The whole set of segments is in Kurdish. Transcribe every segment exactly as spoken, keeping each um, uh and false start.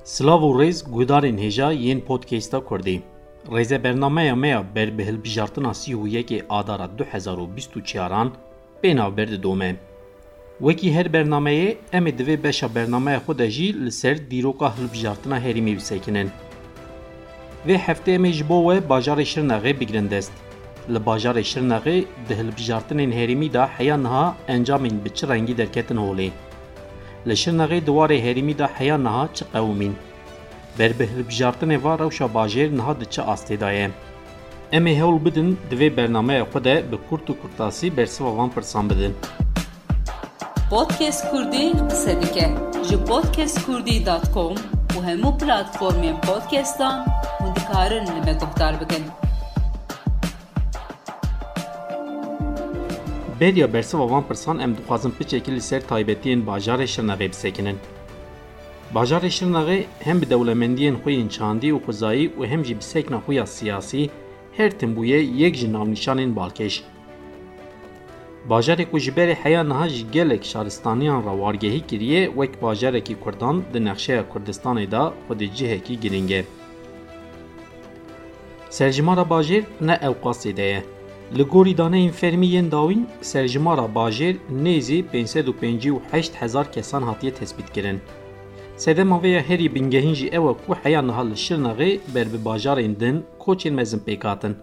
Silav û rêz guhdarên hêja yên podcasta Kurdî. Rêze bernameya me ya ber bi hilbijartina sî û yekê Adara du hezar û bîst û çaran pê navber didome. Wekî her bernameyê, em ê di vê beşa bernameya xwe de jî li ser dîroka hilbijartina herêmî bisekinin. Vê heftê em ê ji bo we bajarê Şirnexê bigirin dest. Li bajarê Şirnexê di hilbijartinên herêmî de heya niha encamên bi çi rengî derketin holê? Li Şirnexê di warê herêmî de heya niha çi qewimîn? Ber bi hilbijartinê ve rewşa bajêr niha di çi astê de ye? Em ê hewl bidin di vê bernameya xwe de bi kurt û kurtasî bersiva van pirsan bidin. Podcast Kurdî qise dike. Ji podcast kurdî dot com û hemû platformên podcastan hûn dikarin li me guhdar bikin. Beriya bersiva van pirsan em dixwazin piçekî li ser taybetiyên bajarê Şirnexê bisekinin. Bajarê Şirnexê hem bi dewlemendiyên xwe yên çandî û xwezayî û hem jî bi sekna xwe ya siyasî her tim bûye yek ji navnîşanên balkêş. Bajarê ku ji berê heya niha ji gelek şaristaniyan re wargehî kiriye, wek bajarekî Kurdan di nexşeya Kurdistanê de xwe di cihekî girîng e. Serjimara bajêr ne ewqasê de ye. Li gorî daneyên fermî yên dawîn, serjimara bajêr nêzî pênc sed û pêncî û heşt hezar kesan hatiye tespîtkirin. Sedema vê ya herî bingehîn jî ew e ku heya niha li Şirnexê ber bi bajarên din koçên mezin pêk hatin.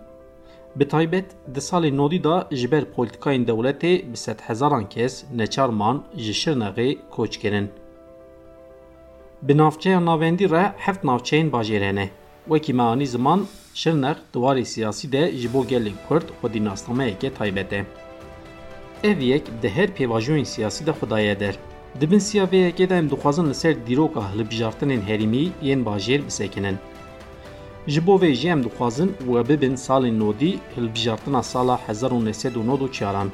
Bi taybet di salên nodî de ji ber polîtîkayên dewletê bi sedhezaran kes neçar man ji Şirnexê koç kirin. Bi navçeya navendî re heft navçeyên bajêr hene. Wekî me anî ziman, Şirnex di warê siyasî de ji bo gelê Kurd xwedî nasnameyeke taybet e. Ev yek di her pêvajoyên siyasî de xwe daye der. Di bin siya vê yekê de em dixwazin li ser dîroka hilbijartinên herêmî yên bajêr bisekinin. Ji bo vê jî em dixwazin we bibin salên nodî hilbijartina sala hezar û neh sed û nod û çaran.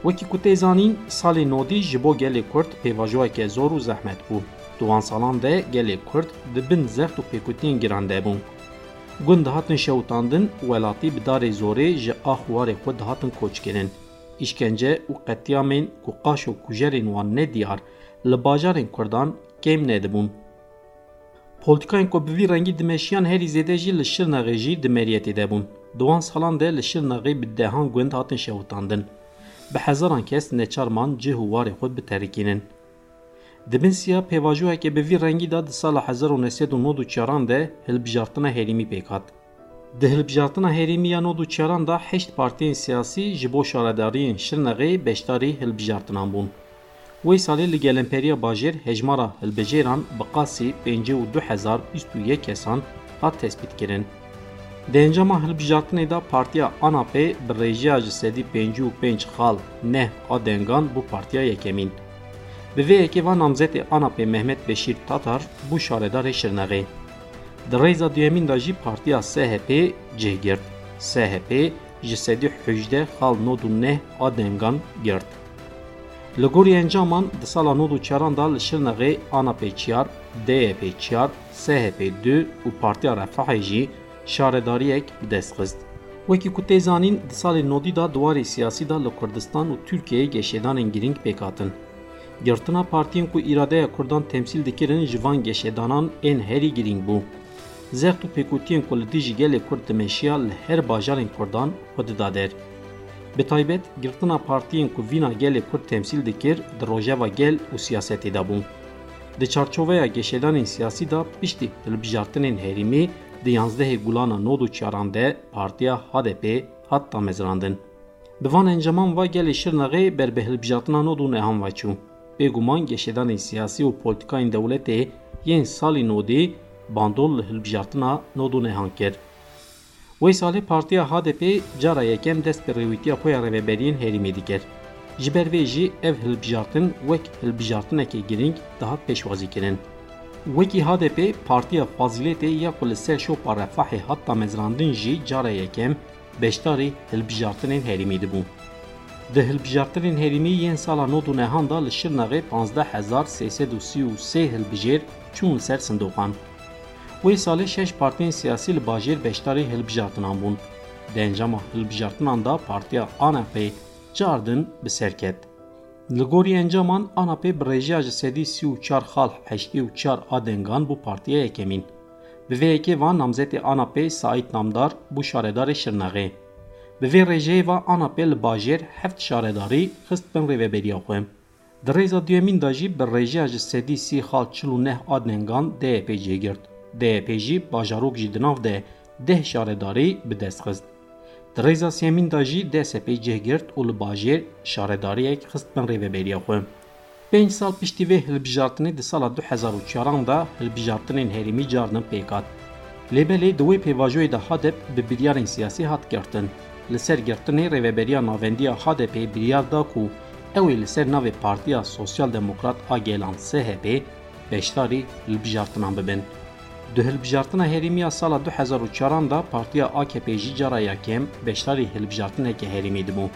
Wekî ku tê zanîn, salên nodî ji bo gelê Kurd pêvajoyeke zor û zehmet bû. Di wan salan de gelê Kurd di bin zext û pêkutiyên giran de bûn. Gund dihatin şewitandin, welatî bi darê zorê ji ax û warê xwe dihatin koçkirin. Îşkence û qetlîamên ku qaşo kujerên wan ne diyar li bajarên Kurdan kêm nedibûn. Polîtîkayên ku bi vî rengî dimeşiyan herî zêde jî li Şirnexê jî di meriyetê de bûn. Di wan salan de li Şirnexê bi dehan gund hatin şewitandin. Bi hezaran kes neçar man cih û warê xwe biterikînin. Di bin siya pêvajoyeke bi vî rengî de di sala hezar û neh sed û nod û çaran de hilbijartina herêmî pêk hat. Di hilbijartina herêmî ya nod û çaran de heşt partiyên siyasî ji bo şaredariyên Şirnexê beşdarî hilbijartinan bûn. Wê salê li Gelemperiya Bajêr hejmara hilbijêran bi qasî pêncî û du hezar bîst û yek kesan hat tespîtkirin. Di encama hilbijartinê de partiya ANAPê bi rêjeya ji sedî pêncî û pênc xal neh a dengan bû partiya yekemîn. Bi vê yekê va namzetê ANAPê Mehmet Beşîr Tatar bû şaredarê Şirnexê. Di rêza duyemîn de jî partiya SHP cih girt. SHP ji sedî hejdeh xal nod û neh a dengan girt. Li gorî encaman di sala nod û çaran de li Şirnexê ANAPê çiyar, DYP çiyar, SHP du û Partiya Refahê jî şaredariyek bi dest xist. Wekî ku tê zanîn, di salên nodî de di warê siyasî de li Kurdistan û Tirkiyeyê geşedanên girîng pêk hatin. Girtina partiyên ku îradeya Kurdan temsîl dikirin ji van geşedanan ên herî girîng bû. Zext û pêkutiyên ku li dijî gelê Kurd dimeşiya li her bajarên Kurdan xwe dida der. Bi taybet, girtina partiyên ku vîna gelê Kurd temsîl dikir di rojeva gel û siyasetê de bû. Di çarçoveya geşedanên siyasî de piştî hilbijartinên herêmî di yanzdehê Gulana nod û çaran de partiya HDP hat damezrandin. Bi van encaman va gelê Şirnexê ber bi hilbijartina nod û nehan ve çû. Bêguman geşedanên siyasî û polîtîkayên dewletê yên salî nodî bandol li hilbijartina nod û nehan kir. Wê salê partiya HDP cara yekem dest bi rêwîtiya xwe ya rêveberiyên herêmê dikir. Ji ber vê jî ev hilbijartin wek hilbijartinekê girîng dihat pêşwazîkirin. Wekî HDP, partiya Fazîletê ya ku li ser şopa Refahê hat damezrandin jî cara yekem beşdarî hilbijartinên herêmî dibû. Di hilbijartinên herêmî yên sala nod û nehan de li Şirnexê panzdeh hezar sê sed û sî û sê hilbijêr çûn li ser sindoqan. Wê salê şeş partiyên siyasî li bajêr beşdarî hilbijartinan bûn. Di encama hilbijartinan de partiya ANAPê çar din bi ser ket. Li gorî encaman, A N P bi rêjeya ji sedî sî û çar xal heştê û çar a dengan bû partiya yekemîn. Bi vê yekê ve namzetê A N P Saîd Namdar bû şaredarê Şirnexê. Bi vê rêjeyê ve A N P li bajêr heft şaredarî xist bin rêveberiya xwe. Di rêza duyemîn de jî bi rêjeya ji sedî sî xal çil û neh a dengan D Y P cih girt. D Y P jî bajarok jî di nav de deh şaredarî bi dest xist. Di rêza sêyemîn de jî D S P cih girt û li bajêr şaredariyek xist bin rêveberiya xwe. Pênc sal piştî vê hilbijartinê di sala du hezar û çaran de hilbijartinên herêmî cardin pêk hat. Lê belê di wê pêvajoyê de HADEP bi biryarên siyasî hat girtin. Li ser girtinê Rêveberiya Navendî ya HADEPê biryar da ku ew ê li ser navê Partiya Sosyal Demokrat a Gelan, S H P, beşdarî hilbijartinan bibin. Di hilbijartina herêmî ya sala du hezar û çaran de partiya A K P jî cara yekem beşdarî hilbijartineke herêmî dibû.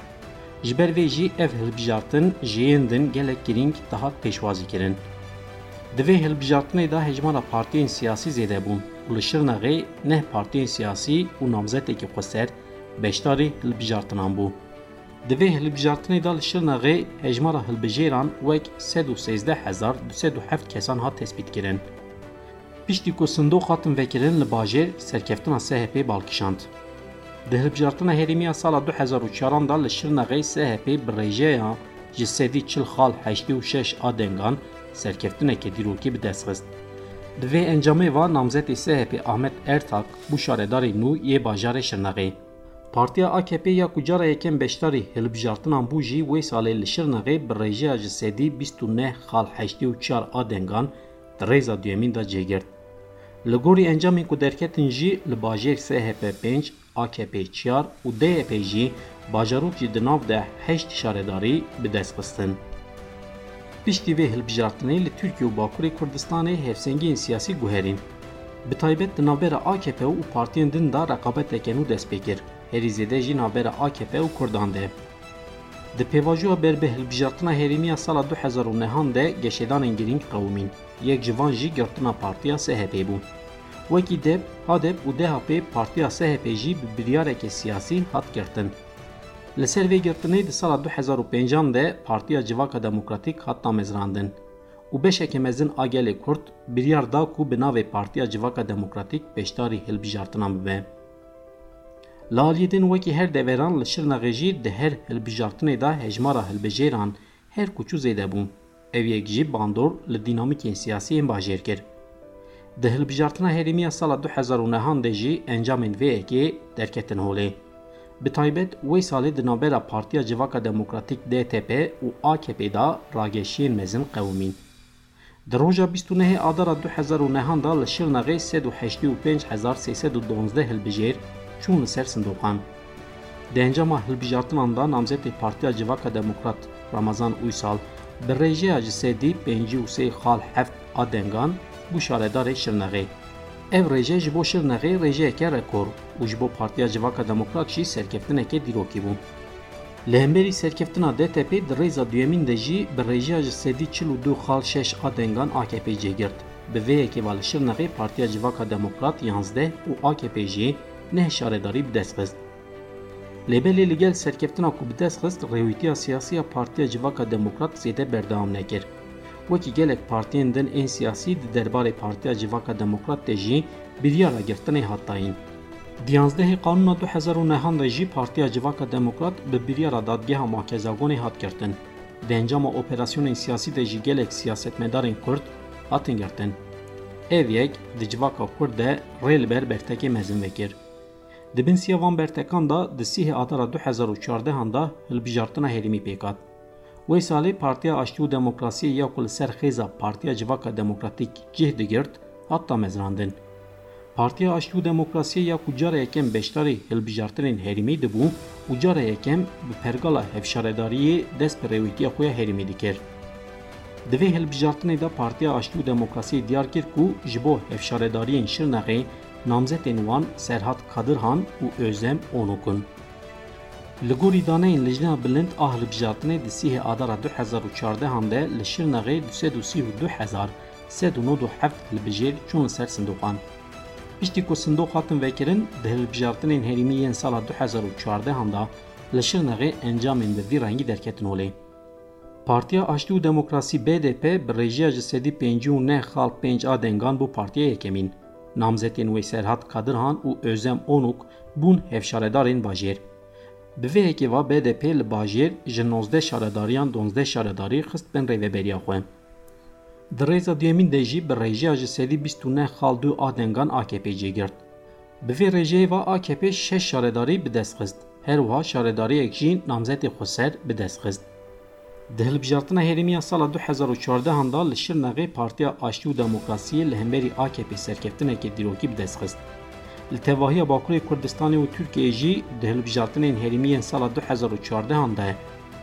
Ji ber vê jî ev hilbijartin ji yên din gelek girîng dihat pêşwazîkirin. Di vê hilbijartinê de hejmara partiyên siyasî zêde bûn û li Şirnexê neh partiyên siyasî û namzetekî xweser beşdarî hilbijartinan bû. Di vê hilbijartinê de li Şirnexê hejmara hilbijêran wek sed û sêzdeh hezar du sed û heft kesan hat tespîtkirin. Piştî ku sindoq hatin vekirin, li bajêr serkeftina S H P bal kişand. Di hilbijartina herêmî ya sala du hezar û çaran de li Şirnexê S H P bi rêjeya ji sedî çil xal heştê û şeş a dengan serkeftineke dîrokî bi dest xist. Di vê encamê ve namzetê S H P Ahmet Ertak bû şaredarê nû yê bajarê Şirnexê. Partiya A K P ya ku cara yekem beşdarî hilbijartinan bû jî wê salê li Şirnexê bi rêjeya ji sedî bîst û neh xal heştê û çar a dengan di rêza duyemîn de cih girt. Li gorî encamên ku derketin jî li bajêr S H P pênc, A K P çar û D Y P jî bajarok jî di nav de heşt şaredarî bi dest xistin. Piştî vê hilbijartinê li Tirkiye û Bakurê Kurdistanê hevsengiyên siyasî guherîn. Bi taybet di navbera A K P û partiyên din de reqabeteke nû dest pê kir, herî zêde jî navbera A K P û Kurdan de. Di pêvajoya ber bi hilbijartina herêmî ya sala du hezar û nehan de geşedanên girîng qewimîn. Yek ji van jî girtina partiya S H P bû. Wekî dep, HADEP û D H P partiya S H P jî bi biryareke siyasî hat girtin. Li ser vê girtinê di sala du hezar û pêncan de Partiya Civaka Demokratîk hat damezrandin û beşeke mezin a gelê Kurd biryar da ku bi navê Partiya Civaka Demokratîk beşdarî hilbijartinan bibe. Li aliyê din wekî her deveran li Şirnexê jî di her hilbijartinê de hejmara hilbijêran her ku çû zêde bû. Ev yek jî bandor li dînamîkên siyasî yên bajêr kir. Di hilbijartina herêmî ya sala du hezar û nehan de jî encamên vê yekê derketin holê. Bi taybet wê salê di navbera Partiya Civaka Demokratîk D T P û A K P de rageşiyên mezin qewimîn. Di roja bîst û nehê Adara du hezar û nehan de li Şirnexê sed û heştê û pênc hezar sê sed û duwazdeh hilbijêr çûn li ser sindoqan. Di encama hilbijartinan de namzetê Partiya Civaka Demokrat Ramazan Uysal bi rêjeya ji sedî pêncî û sê xal heft a dengan bû şaredarê Şirnexê. Ev rêje ji bo Şirnexê rêjeyeke rekor û ji bo Partiya Civaka Demokrat jî serkeftineke dîrokî bû. Li hemberî serkeftina D T P di rêza duyemîn de jî bi rêjeya ji sedî çil û du xal şeş a dengan A K P cih girt. Bi vê yekê ve li Şirnexê Partiya Civaka Demokrat yanzdeh û A K P jî neh şaredarî bi dest xist. Lê belê li gel serkeftina ku bi dest xist, rêwîtiya siyasî ya Partiya Civaka Demokrat zêde berdewam nekir. Wekî gelek partiyên din ên siyasî di derbarê Partiya Civaka Demokrat de jî biryara girtinê hat dayîn. Di yanzdehê Kanûna du hezar û nehan de jî Partiya Civaka Demokrat bi biryara Dadgeha Makezagonê hat girtin. Di encama operasyonên siyasî de jî gelek siyasetmedarên Kurd hatin girtin. Ev yek di civaka Kurd de rê li ber bertekê mezin vekir. Di bin siya van bertekan de di sîhê Adara du hezar û çardehan de hilbijartina herêmî pêk hat. Wê salê Partiya Aştî û Demokrasiyê ya ku li ser xêza Partiya Civaka Demokratîk cih digirt, hat damezrandin. Partiya Aştî û Demokrasiyê ya ku cara yekem beşdarî hilbijartinên herêmî dibû û cara yekem bi pergala hevşaredariyê dest bi rêwîtiya xwe ya herêmî dikir. Di vê hilbijartinê de Partiya Aştî û Demokrasiyê diyar kir ku ji bo hevşaredariyên Şirnexê namzetên wan Serhat Kadirhan û Özlem Onuk in. Li gorî daneyên Lijneya Bilind a Hilbijartinê di sîhê Adara du hezar û çardehan de li Şirnexê du sed û sî û du hezar sed û nod û heft hilbijêr çûn li ser sindoqan. Piştî ku sindoq hatin vekirin, di hilbijartinên herêmî yên sala du hezar û çardehan de li Şirnexê encamên bi vî rengî derketin holê. Partiya Aştî û Demokrasî, B D P, bi rêjeya ji sedî pêncî û neh xal pênc a dengan bû partiya yekemîn. Namzetên wê Serhat Kadirhan û Özlem Onuk bûn hevşaredarên bajêr. Bi vê yekê ve B D P li bajêr ji nozdeh şaredariyan duwazdeh şaredarî xist bin rêveberiya xwe. Di rêza duyemîn de jî bi rêjeya ji sedî bîst û neh xal du a dengan A K P cêgirt. Bi vê rêjeyê ve A K P şeş şaredarî bi dest xist. Her wiha şaredariyek jî namzetê xweser bi dest xist. Di hilbijartina herêmî ya sala du hezar û çardehan de li Şirnexê Partiya Aştî û Demokrasiyê li hemberî A K P serkeftineke dîrokî bi dest xist. Li tevahiya Bakurê Kurdistanê û Tirkiyeyê jî di hilbijartinên herêmî yên sala du hezar û çardehan de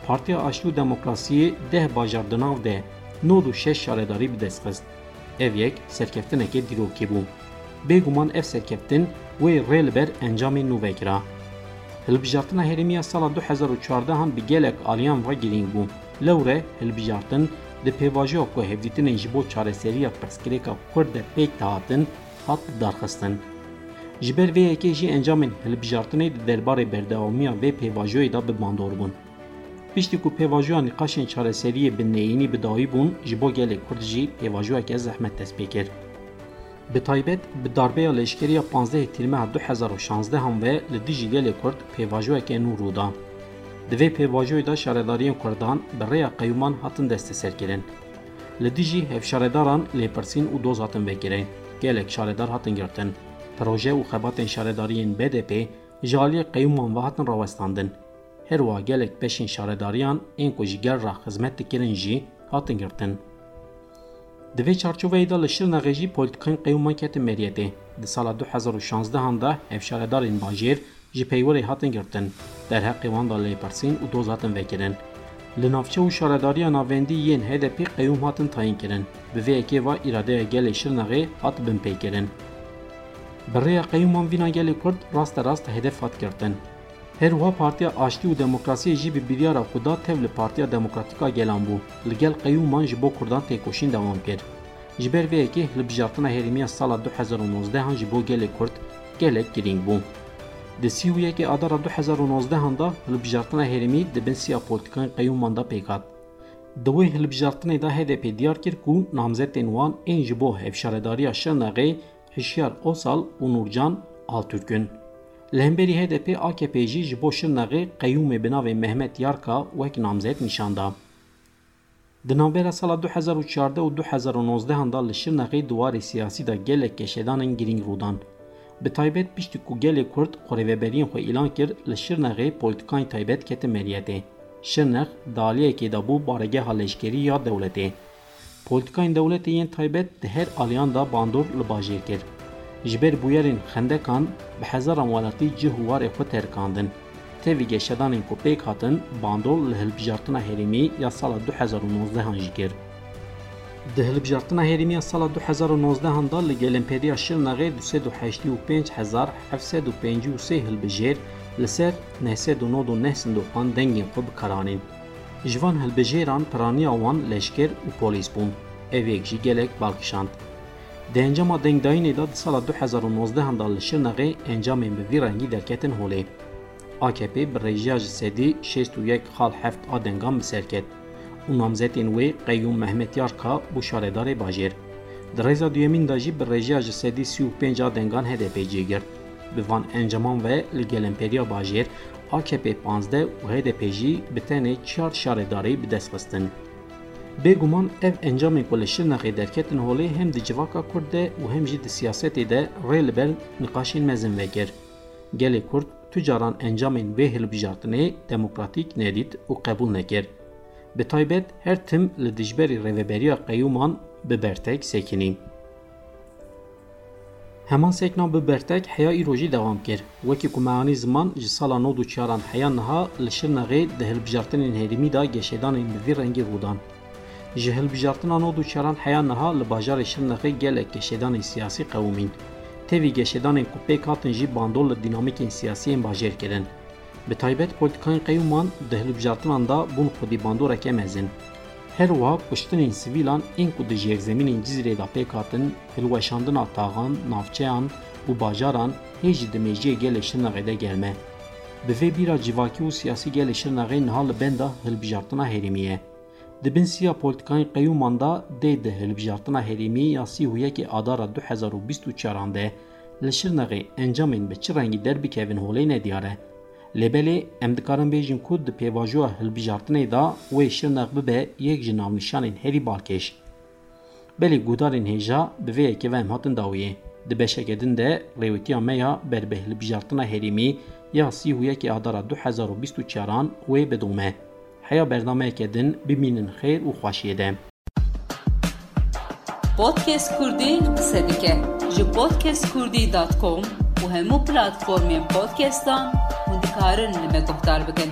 Partiya Aştî û Demokrasiyê deh bajar di nav de nod û şeş şaredarî bi dest xist. Ev yek serkeftineke dîrokî bû. Bêguman ev serkeftin wê rê li ber encamên nû vekira. Hilbijartina herêmî ya sala du hezar û çardehan bi gelek aliyan ve girîng bû. Lewre hilbijartin di pêvajoya ku hevdîtinên ji bo çareseriya pirsgirêka Kurd de pêk dihatin, hat lidarxistin. Ji ber vê yekê jî encamên hilbijartinê di derbarê berdewamiya vê pêvajoyê de bi bandor bûn. Piştî ku pêvajoya nîqaşên çareseriyê bi neyînî bi dawî bûn, ji bo gelê Kurd jî pêvajoyeke zehmet dest pê kir. Bi taybet bi darbeya leşkerî ya panzdehê Tîrmeha du hezar û şanzdehan ve li dijî gelê Kurd pêvajoyeke nû rû da. Di vê pêvajoyê de şaredariyên Kurdan bi rêya qeyûman hatin desteserkirin. Li dijî hevşaredaran lêpirsîn û doz hatin vekirin. Gelek şaredar hatin girtin. Proje û xebatên şaredariyên B D P ji aliyê qeyûman ve hatin rawestandin. Her wiha gelek beşên şaredariyan ên ku ji gel re xizmet dikirin jî hatin girtin. Di vê çarçoveyê de li Şirnexê jî polîtîkayên qeyûman ketin meriyetê. Di sala du hezar û şanzdehan de hevşaredarên bajêr ji peywerê hatin girtin, derheqê wan de lêpirsîn û doz hatin vekirin. Li navçe û şaredariya navendî yên H D P qeyûm hatin tayînkirin. Bi vê yekê ve îradeya gelê Şirnexê hat binpêkirin. Bi rêya qeyûman vîna gelê Kurd raste rast hedef hat girtin. Her wiha Partiya Aştî û Demokrasiyê jî bi biryara ku da tev li Partiya Demokratîk a Gelan bû, li gel qeyûman ji bo Kurdan têkoşîn dewam kir. Ji ber vê yekê hilbijartina herêmî ya sala du hezar û nozdehan ji bo gelê Kurd gelek girîng bû. Di sî û yekê Adara du hezar û nozdehan de hilbijartina herêmî di bin siya polîtîkayên qeyûman de pêk hat. Di wê hilbijartinê de H D P diyar kir ku namzetên wan ên ji bo hevşaredariya Şirnexê Hişyar Osal û Nûrcan Altürk in. Li hemberî H D P, A K P jî ji bo Şirnexê qeyûmê bi navê Mehmet Yarka wek namzet nîşan da. Di navbera sala du hezar û çardeh û du hezar û nozdehan de li Şirnexê di warê siyasî de gelek geşedanên girîng rû dan. Bi taybet piştî ku gelê Kurd xwe rêveberiyên xwe îlan kir, li Şirnexê polîtîkayên taybet ketin meriyetê. Şirnex di aliyekê de bû baregeha leşkerî ya dewletê. Polîtîkayên dewletê yên taybet di her aliyan de bandor li bajêr kir. Ji ber bûyerên xendekan bi hezaran welatî cih û warê xwe terikandin. Tevî geşedanên ku pêk hatin, bandor li hilbijartina herêmî ya sala du hezar û nozdehan jî kir. Di hilbijartina herêmî ya sala du hezar û nozdehan de li Gelenperiya Şirnexê du sed û heştê û pênc hezar heft sed û pêncî û sê hilbijêr li ser neh sed û nod û neh sindoqan dengên xwe bi kar anîn. Ji van hilbijêran piraniya wan leşker û polîs bûn. Ev yek jî gelek bal kişand. Di encama dengdayînê de di sala du hezar û nozdehan de li Şirnexê encamên bi vî rengî derketin holê. A K P bi rêjeya ji sedî şêst û yek xal heft a dengan bi ser ket û namzetên wê qeyûm Mehmet Yarka bû şaredarê bajêr. Di rêza duyemîn de jî bi rêjeya ji sedî sî û pênc a dengan H D P cêgirt. Bi van encaman ve li Gelenperiya Bajêr A K P panzdeh û H D P jî bi tenê çar şaredarî bi dest xistin. Bêguman ev encamên ku li Şirnexê derketin holê hem di civaka Kurd de û hem jî di siyasetê de rê li ber niqaşên mezin vekir. Gelê Kurd tu caran encamên vê hilbijartinê demokratîk nedît û qebûl nekir. Bi taybet her tim li dijberî rêveberiya qeyûman bi bertek sekinî. Heman sekna bi bertek heya îro jî dewam kir. Wekî ku me anî ziman, ji sala nod û çaran heya niha li Şirnexê di hilbijartinên herêmî de geşedanên bi vî rengî rû dan. Ji hilbijartina nod û çaran heya niha li bajarê Şirnexê gelek geşedanên siyasî qewimîn. Tevî geşedanên ku pêk hatin jî bandor li dînamîkên siyasî yên bajêr kirin. Bi taybet polîtîkayên qeyûman di hilbijartinan de bûn xwedî bandoreke mezin. Her wiha kuştinên sivîlan ên ku di jêrzemînên Cizîrê de pêk hatin, hilweşandina taxan, navçeyan û bajaran hê jî di mêjiyê gelê Şirnexê de germ e. Bi vê bîra civakî û siyasî gelê Şirnexê niha li benda hilbijartina herêmî ye. Di bin siya polîtîkayên qeyûman de dê di hilbijartina herêmî ya sî û yekê Adara du hezar û bîst û çaran de li Şirnexê encamên bi çi rengî derbikevin holê nediyar e. Lê belê em dikarin bêjin ku di pêvajoya hilbijartinê de wê Şirnex bibe yek ji navnîşanên herî balkêş. Belê guhdarên hêja, bi vê yekê ve em hatin dawiyê. Di beşeke din de rêwîtiya me ya ber bi hilbijartina herêmî ya sî û yekê Adara du hezar û bîst û çaran wê bidome. Heya bernameyeke din bimînin xêr û xweşiyê de. Podcast Kurdî qise dike. Ji podcast kurdî dot com û hemû platformên podcastan hûn dikarin li me guhdar bikin.